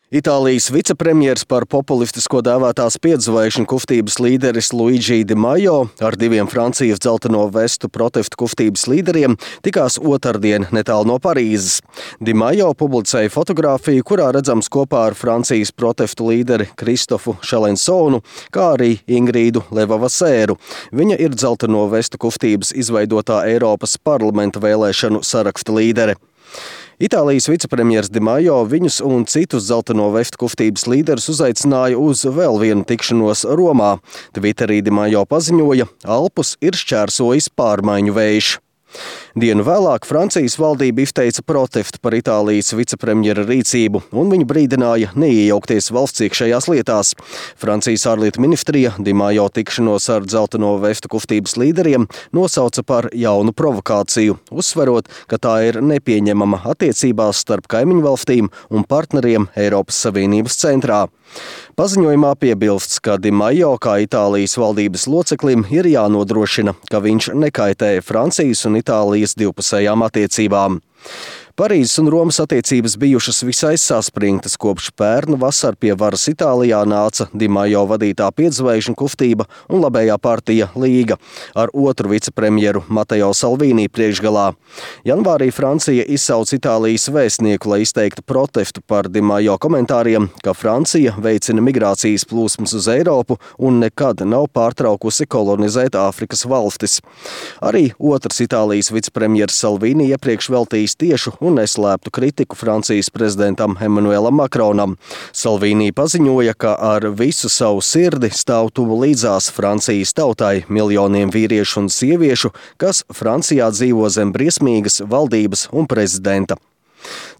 Itālijas vicepremjers par populistisko dēvētās piedzvaigžņu kustības līderis Luigi Di Maio ar diviem Francijas dzelteno vestu protestu kustības līderiem tikās otrdien netālu no Parīzes. Di Maio publicēja fotogrāfiju, kurā redzams kopā ar Francijas protestu līderi Kristofu Šalensonu, kā arī Ingrīdu Levavasēru. Viņa ir dzelteno vestu kustības izveidotā Eiropas parlamenta vēlēšanu saraksta līdere. Itālijas vicepremjers Di Maio viņus un citus dzelteno vestu kustības līderus uzaicināja uz vēl vienu tikšanos Romā. Twitterī Di Maio paziņoja, Alpus ir šķērsojis pārmaiņu vējš. Dienu vēlāk Francijas valdība izteica protestu par Itālijas vicepremjera rīcību, un viņa brīdināja neiejaukties valsts iekšējās lietās. Francijas ārlietu ministrija Di Maio tikšanos ar dzelteno vestu kustības līderiem nosauca par jaunu provokāciju, uzsverot, ka tā ir nepieņemama attiecībās starp kaimiņu valstīm un partneriem Eiropas Savienības centrā. Paziņojumā piebilsts, ka Di Maio kā Itālijas valdības loceklim ir jānodrošina, ka viņš nekaitē Francijas un Itālijas divpusējām attiecībām. Parīzes un Romas attiecības bijušas visai saspringtas, kopš pērna vasar pie varas Itālijā nāca Di Maio vadītā piedzvaigžņu kustība un labējā partija Līga ar otru vicepremjeru Matteo Salvini priekšgalā. Janvārī Francija izsauca Itālijas vēstnieku, lai izteiktu protestu par Di Maio komentāriem, ka Francija veicina migrācijas plūsmas uz Eiropu un nekad nav pārtraukusi kolonizēt Āfrikas valstis. Arī otrs Itālijas vicepremjers Salvini iepriekš veltījis tiešu un neslēptu kritiku Francijas prezidentam Emmanuelam Macronam. Salvini paziņoja, ka ar visu savu sirdi stāv tuvu līdzās Francijas tautai, miljoniem vīriešu un sieviešu, kas Francijā dzīvo zem briesmīgas valdības un prezidenta.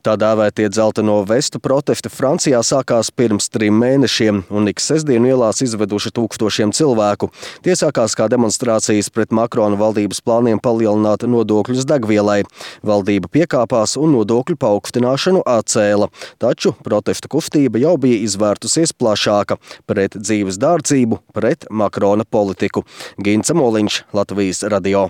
Tā dēvētie dzelteno vestu protesti Francijā sākās pirms 3 mēnešiem un ik sestdienu ielās izveduši tūkstošiem cilvēku. Tie sākās kā demonstrācijas pret Makrona valdības plāniem palielināt nodokļus degvielai. Valdība piekāpās un nodokļu paaugstināšanu atcēla, taču protestu kustība jau bija izvērtusies plašāka pret dzīves dārdzību, pret Makrona politiku. Gints Moliņš, Latvijas radio.